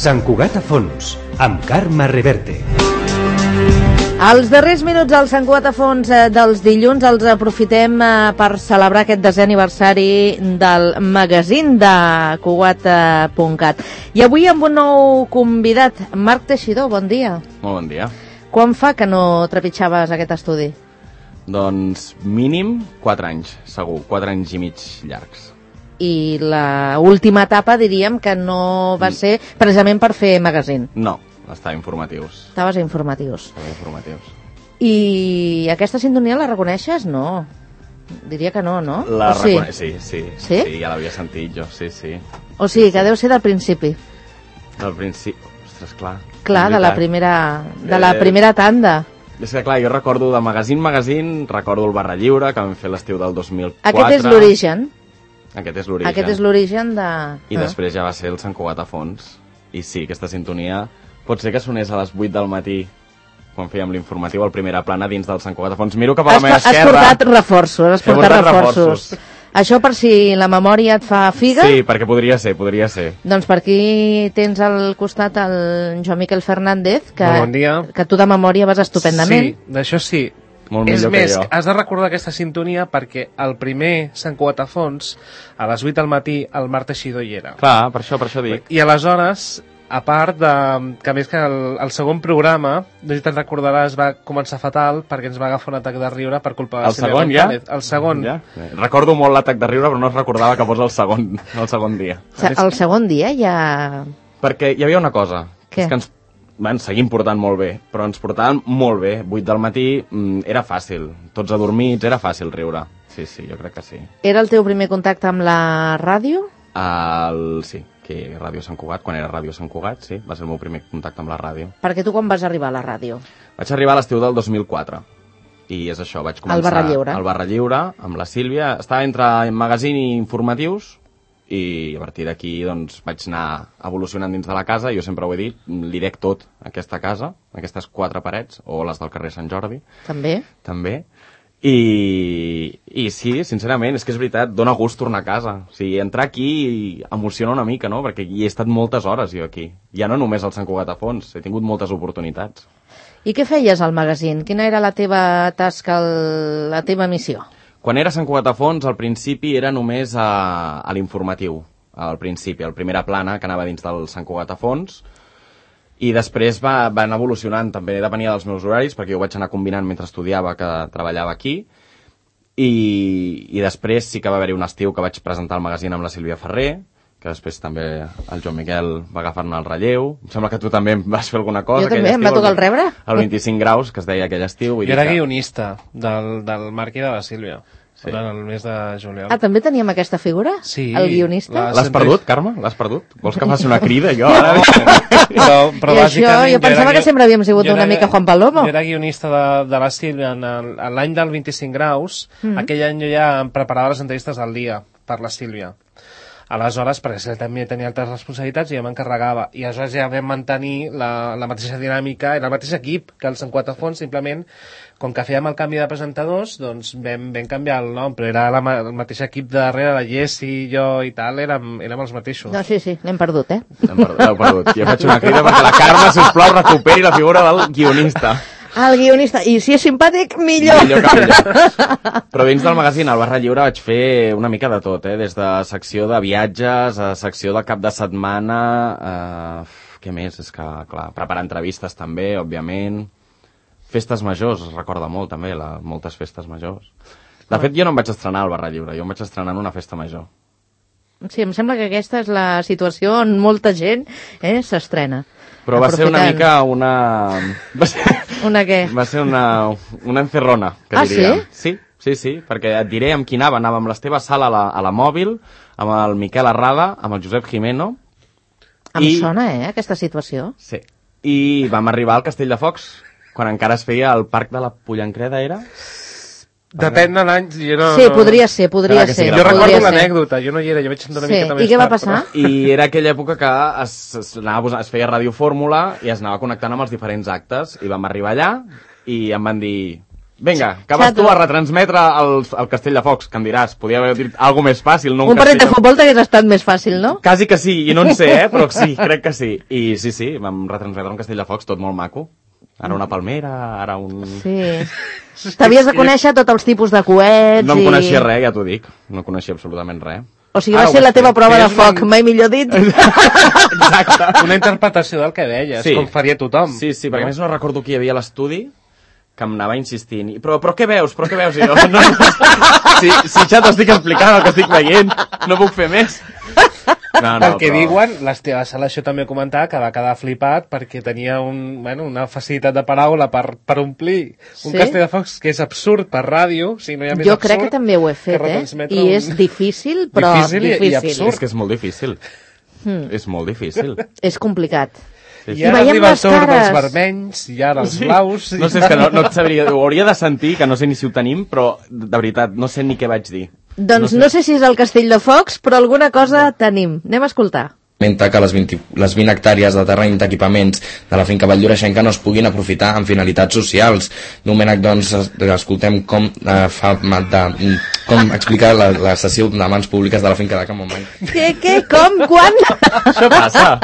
Sant Cugat a fons, amb Carme Reverte. Els darrers minuts al Sant Cugat a fons dels dilluns els aprofitem per celebrar aquest 10è aniversari del magazín de Cugat.cat. I avui amb un nou convidat, Marc Teixidor, bon dia. Molt bon dia. Quan fa que no trepitjaves aquest estudi? Doncs mínim 4 anys, segur, 4 anys i mig llargs. I la última etapa diríem que no va ser precisament per fer magazín. No, estava informatius. Estaves a informatius. Estava informatius. I aquesta sintonia la reconeixes? No. Diria que no, no? La reconec, sí? Sí, sí, ja l'havia sentit jo, sí. O sigui, que deu ser del principi. Del principi, ostres, clar. Clar, de la primera tanda. És que clar, jo recordo de magazín, recordo el Barra Lliure, que vam fer l'estiu del 2004. Aquest és l'origen. Aquest és l'origen. Aquest és l'origen de... I després ja va ser el Sant Cugat a fons. I sí, aquesta sintonia pot ser que sonés a les 8 del matí, quan fèiem l'informatiu, al Primera Plana dins del Sant Cugat a fons. Miro cap a la meva esquerra. Has portat reforços. Això per si la memòria et fa figa? Sí, perquè podria ser. Doncs per aquí tens al costat el Joan Miquel Fernández, bon dia. Que tu de memòria vas estupendament. Sí, d'això sí. Molt és més, que has de recordar aquesta sintonia perquè el primer Sant Cugat a fons, a les 8 del matí, el Marc Teixidor hi era. Clar, per això dic. I aleshores, a part de... que a més que el segon programa, no sé si te'n recordaràs, va començar fatal perquè ens va agafar un atac de riure per culpa de el segon, González. El segon. Ja? Recordo molt l'atac de riure, però no es recordava que fos el segon dia. El segon dia ja... Perquè hi havia una cosa. Què? És que ens seguim portant molt bé, però ens portaven molt bé. 8 del matí era fàcil. Tots adormits, era fàcil riure. Sí, jo crec que sí. Era el teu primer contacte amb la ràdio? Sí, que Ràdio Sant Cugat, quan era Ràdio Sant Cugat, sí, va ser el meu primer contacte amb la ràdio. Perquè tu quan vas arribar a la ràdio? Vaig arribar a l'estiu del 2004. I és això, vaig començar... Al Barra Lliure. Al Barra Lliure, amb la Sílvia. Estava entre magazín i informatius, i a partir d'aquí doncs, vaig anar evolucionant dins de la casa. Jo sempre ho he dit, li dec tot a aquesta casa, aquestes 4 parets, o les del carrer Sant Jordi. També. I sí, sincerament, és que és veritat, dóna gust tornar a casa. O sigui, entrar aquí emociona una mica, no? Perquè hi he estat moltes hores jo aquí. Ja no només al Sant Cugat a fons, he tingut moltes oportunitats. I què feies al magazín? Quina era la teva tasca, la teva missió? Quan era Sant Cugat a fons, al principi era només a l'informatiu. Al principi, al Primera Plana, que anava dins del Sant Cugat a fons. I després va anar evolucionant, també depenia dels meus horaris, perquè jo vaig anar combinant mentre estudiava, que treballava aquí. I després sí que va haver-hi un estiu que vaig presentar el magazín amb la Sílvia Ferrer, que després també el Joan Miquel va agafar-ne el relleu. Em sembla que tu també vas fer alguna cosa. Jo també, em va tocar el rebre. El 25 graus, que es deia aquell estiu. Jo era guionista del Marc i de la Sílvia. Sí. Durant el mes de juliol. Ah, també teníem aquesta figura? Sí. El guionista? L'has perdut, Carme? L'has perdut? Vols que faci una crida, jo? Ara... però I això, jo pensava que sempre havíem sigut una mica Juan Palomo. Jo era guionista de la Sílvia en l'any del 25 graus. Aquell any jo ja em preparava les entrevistes al dia per la Sílvia. Aleshores, perquè ell també tenia altres responsabilitats i ja m'encarregava. I aleshores ja vam mantenir la mateixa dinàmica, era el mateix equip que el Sant Cugat a fons, simplement, com que fèiem el canvi de presentadors, doncs vam canviar el nom, però era el mateix equip de darrere, la Jessi, jo i tal, érem els mateixos. No, sí, l'hem perdut, L'heu perdut. Jo faig una crida perquè la Carme, sisplau, recuperi la figura del guionista. El guionista, i si és simpàtic, millor. Però dins del magazín, al Barra Lliure, vaig fer una mica de tot, des de secció de viatges, a secció de cap de setmana, què més? És que, clar, preparar entrevistes també, òbviament. Festes majors, es recorda molt també, moltes festes majors. De fet, jo no em vaig estrenar al Barra Lliure, jo em vaig estrenar en una festa major. Sí, em sembla que aquesta és la situació on molta gent s'estrena. Però va ser una mica una... Una què? Va ser una encerrona, que diria. Sí? Sí, perquè et diré amb qui anava. Anava amb l'Esteve Sala a la Mòbil, amb el Miquel Arrada, amb el Josep Jimeno. Em sona, aquesta situació. Sí. I vam arribar al Castell de Focs, quan encara es feia el Parc de la Pollancreda, era? Depèn de l'any. Sí, podria ser. Jo recordo l'anècdota, jo no hi era, jo vaig entrar una miqueta més tard. I què va passar? I era aquella època que es feia Ràdio Fórmula i es anava connectant amb els diferents actes. I vam arribar allà i em van dir, Vinga, que vas tu a retransmetre el Castell de Focs, que em diràs, podia haver dit alguna més fàcil, no un partit de futbol t'hagués estat més fàcil, no? Quasi que sí, i no en sé, però sí, crec que sí. I sí, vam retransmetre un Castell de Focs tot molt maco. Ara una palmera, ara un... Sí. T'havies de conèixer tots els tipus de coets No em coneixia res, ja t'ho dic. No coneixia absolutament res. O sigui, va ser la teva prova de foc, mai millor dit. Exacte. Una interpretació del que deies, Sí. com faria tothom. Sí, perquè a més no recordo qui hi havia a l'estudi que em anava insistint. Però què veus? Però què veus? I jo, no. Si ja t'estic explicant el que estic veient, no puc fer més. No, Pel que diuen, la sala això també comentava que va quedar flipat perquè tenia una facilitat de paraula per omplir un Castell de Focs que és absurd per ràdio, si no hi ha més Jo absurd. crec que també ho he fet, I és difícil, però difícil. I absurd. És que és molt difícil. És molt difícil. És complicat. I ara arriba el torn dels vermells, i ara els blaus... No sé, és que no et sabria... Ho hauria de sentir, que no sé ni si ho tenim, però de veritat, no sé ni què vaig dir. Doncs no sé si és el Castell de Focs, però alguna cosa tenim. Anem a escoltar. Que les 20 hectàrees de terreny d'equipaments de la finca Valldoreixenca no es puguin aprofitar amb finalitats socials. Domènec, doncs, escoltem com explica la sessió de mans públiques de la finca de Can Montmany. Què, com, quan? Això passa.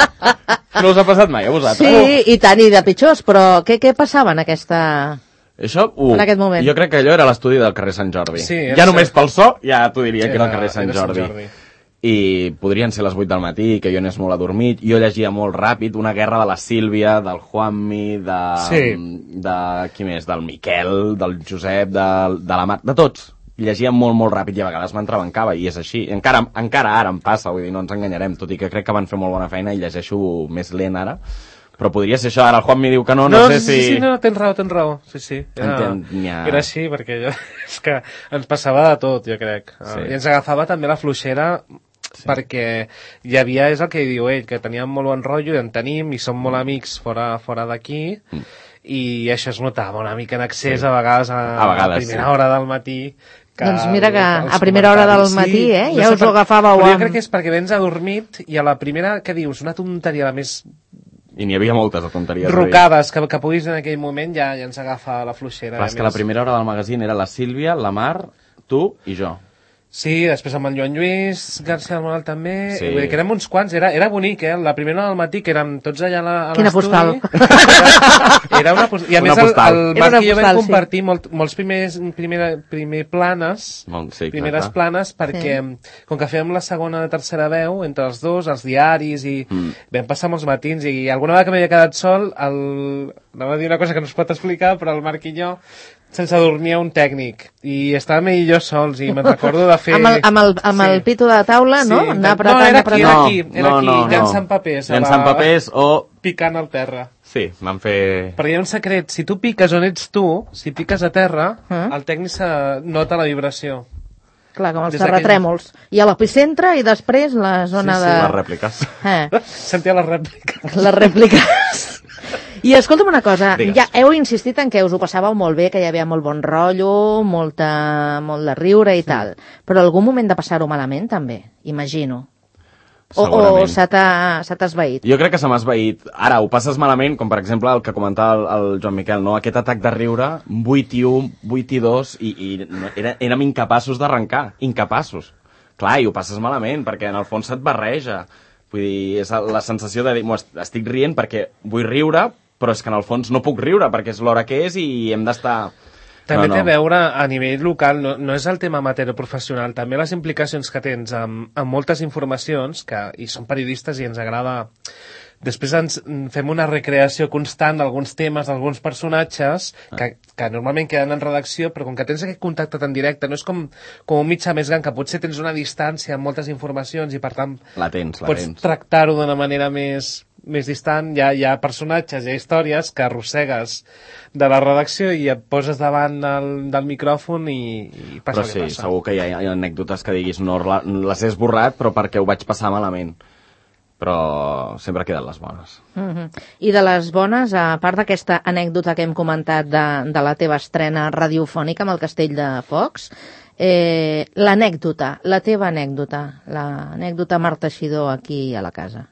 No us ha passat mai a vosaltres? Sí, i tant, i de pitjors, però què passava en aquesta... Això, en aquest moment. Jo crec que allò era l'estudi del carrer Sant Jordi. Sí, ja només pel so, ja t'ho diria que era el carrer Sant Jordi. I podrien ser les 8 del matí, que jo anés molt adormit. Jo llegia molt ràpid una guerra de la Sílvia, del Juanmi, de qui més? Del Miquel, del Josep, de la Mar... De tots. Llegia molt, molt ràpid i a vegades m'entrebancava, i és així. Encara ara em passa, vull dir, no ens enganyarem, tot i que crec que van fer molt bona feina i llegeixo més lent ara. Però podria ser això, ara el Juan m'hi diu que no sé si... Sí, tens raó. Sí. Era així, perquè és que ens passava de tot, jo crec. Sí. I ens agafava també la fluixera, perquè hi havia, és el que diu ell, que teníem molt bon rotllo, i en tenim, i som molt amics fora d'aquí, i això es notava una mica en excés, a vegades a primera hora del matí. Doncs mira que a primera hora del matí, ja us ho agafàveu amb... Jo crec que és perquè vens adormit, i a la primera, què dius? Una tonteria, la més... I n'hi havia moltes de tonteries. Rocades, que puguis en aquell moment ja ens agafa la fluixera. Clar, és que la primera hora del magazín era la Sílvia, la Mar, tu i jo. Sí, després amb en Joan Lluís García del Moral també, Sí. Vull dir que érem uns quants, era bonic, la primera hora del matí, que érem tots allà a Quina l'estudi. Era una postal. I a Una més postal. el Era Marc una i jo postal, vam compartir molts planes, primeres planes, perquè com que fèiem la segona i tercera veu entre els dos, els diaris, i vam passar molts matins, i alguna vegada que m'havia quedat sol, anava a dir una cosa que no es pot explicar, però el Marc i jo se'ns adormia un tècnic, i estàvem ell i jo sols, i me'n recordo de fer... Amb el pito de taula, no? Anar apretant, era aquí, llançant papers. Llançant papers o... Picant al terra. Sí, vam fer... Perquè hi ha un secret, si tu piques on ets tu, si piques a terra, el tècnic nota la vibració. Clar, com els terratrèmols. I a l'epicentre i després la zona de... les rèpliques. Sentia les rèpliques. Les rèpliques. I escolta'm una cosa, Digues. ja heu insistit en que us ho passàveu molt bé, que hi havia molt bon rotllo, molt de riure i tal, però algun moment de passar-ho malament també, imagino. O se t'ha esvaït? Jo crec que se m'ha esvaït. Ara, ho passes malament, com per exemple el que comentava el Joan Miquel, no? Aquest atac de riure, 8 i 1, 8 i 2, i érem incapaços d'arrencar, incapaços. Clar, i ho passes malament, perquè en el fons se't barreja. Vull dir, és la sensació de dir, estic rient perquè vull riure, però és que en el fons no puc riure, perquè és l'hora que és i hem d'estar... També té a veure a nivell local, no és el tema amateur o professional, també les implicacions que tens amb moltes informacions, i som periodistes i ens agrada... Després fem una recreació constant d'alguns temes, d'alguns personatges, que normalment queden en redacció, però com que tens aquest contacte tan directe, no és com un mitjà més gran, que potser tens una distància amb moltes informacions i per tant pots tractar-ho d'una manera més distant. Hi ha personatges, hi ha històries que arrossegues de la redacció i et poses davant del micròfon i passa el que passa. Però sí, segur que hi ha anècdotes que diguis no les he esborrat, però perquè ho vaig passar malament. Però sempre queden les bones. I de les bones, a part d'aquesta anècdota que hem comentat de la teva estrena radiofònica amb el Castell de Focs, l'anècdota, la teva anècdota, l'anècdota Marta Xidó aquí a la casa.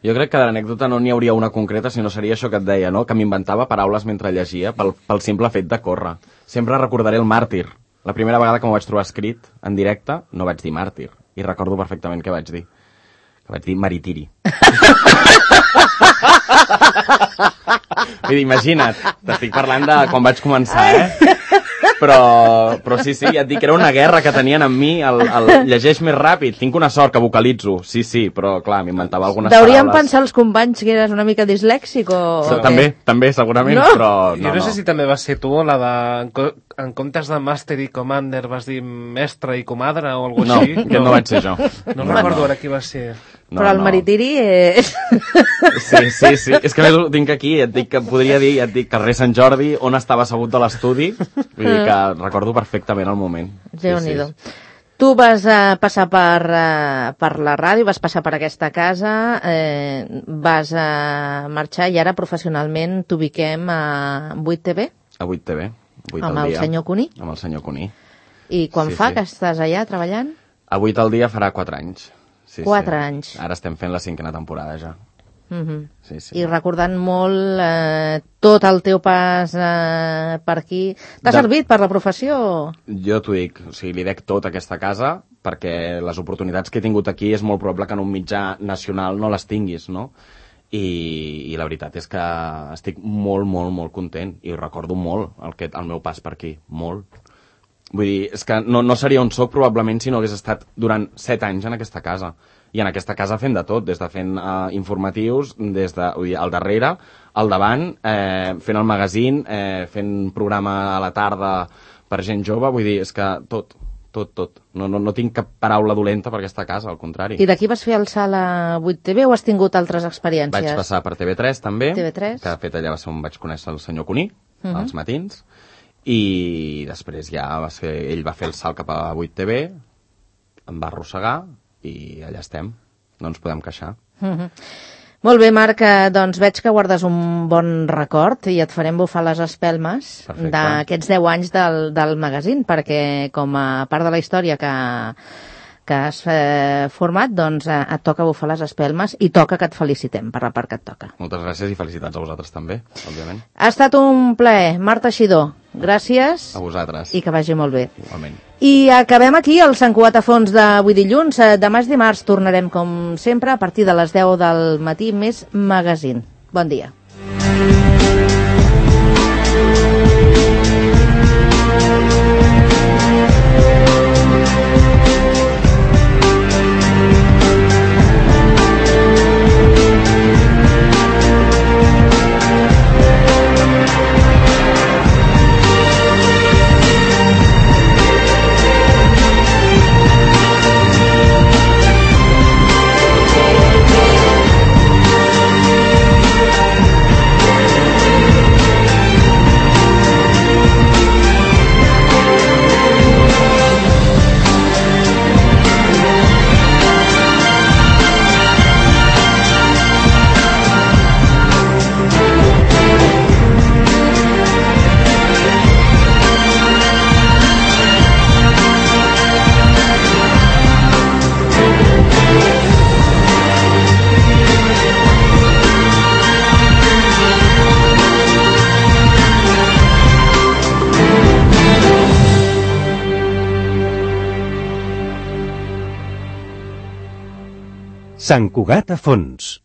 Jo crec que de l'anècdota no n'hi hauria una concreta, sinó seria això que et deia, no? Que m'inventava paraules mentre llegia pel simple fet de córrer. Sempre recordaré el màrtir. La primera vegada que m'ho vaig trobar escrit en directe no vaig dir màrtir. I recordo perfectament què vaig dir. Que vaig dir maritiri. Vull dir, imagina't, t'estic parlant de quan vaig començar, Però sí, ja et dic que era una guerra que tenien amb mi, el llegeix més ràpid, tinc una sort que vocalitzo, sí, però clar, m'inventava algunes Deurien paraules. pensar els companys que eres una mica dislèxic o... També, segurament, no? Però Jo no sé si també va ser tu, la de... En comptes de Master i Commander vas dir Mestre i Comadre o alguna cosa així? No, no vaig ser jo. No recordo ara qui va ser. No, però el maritiri és... Sí. És que més ho tinc aquí, et dic que podria dir, carrer Sant Jordi, on estava assegut de l'estudi, vull dir que recordo perfectament el moment. Déu-n'hi-do. Tu vas passar per la ràdio, vas passar per aquesta casa, vas marxar i ara professionalment t'ubiquem a 8TV? A 8TV, 8 amb al el dia. senyor Cuní? Amb el senyor Cuní. I quan fa que estàs allà treballant? A 8 al dia farà 4 anys. 4 anys. Ara estem fent la 5a temporada ja. Sí. I recordant molt tot el teu pas per aquí. T'ha servit per la professió? Jo t'ho dic, o sigui, li dec tot a aquesta casa perquè les oportunitats que he tingut aquí és molt probable que en un mitjà nacional no les tinguis, no? I la veritat és que estic molt content i recordo molt el meu pas per aquí, molt. Vull dir, és que no seria on soc probablement si no hagués estat durant 7 anys en aquesta casa. I en aquesta casa fent de tot, des de fent informatius, des de, vull dir, al darrere, al davant, fent el magazín, fent programa a la tarda per gent jove, vull dir, és que tot. No tinc cap paraula dolenta per aquesta casa, al contrari. I d'aquí vas fer el salt a 8TV o has tingut altres experiències? Vaig passar per TV3 també, TV3. que de fet allà va ser on vaig conèixer el senyor Cuní, als matins, i després ja ell va fer el salt cap a 8TV, em va arrossegar i allà estem, no ens podem queixar. Molt bé, Marc, doncs veig que guardes un bon record i et farem bufar les espelmes d'aquests 10 anys del magazín, perquè com a part de la història que has format, doncs et toca bufar les espelmes i toca que et felicitem per la part que et toca. Moltes gràcies i felicitats a vosaltres també, òbviament. Ha estat un plaer. Marc Teixidor, gràcies. A vosaltres. I que vagi molt bé. Igualment. I acabem aquí el Sant Cugat a fons d'avui dilluns. Demà és dimarts, tornarem com sempre a partir de les 10 del matí, més magazín. Bon dia. Sant Cugat a fons.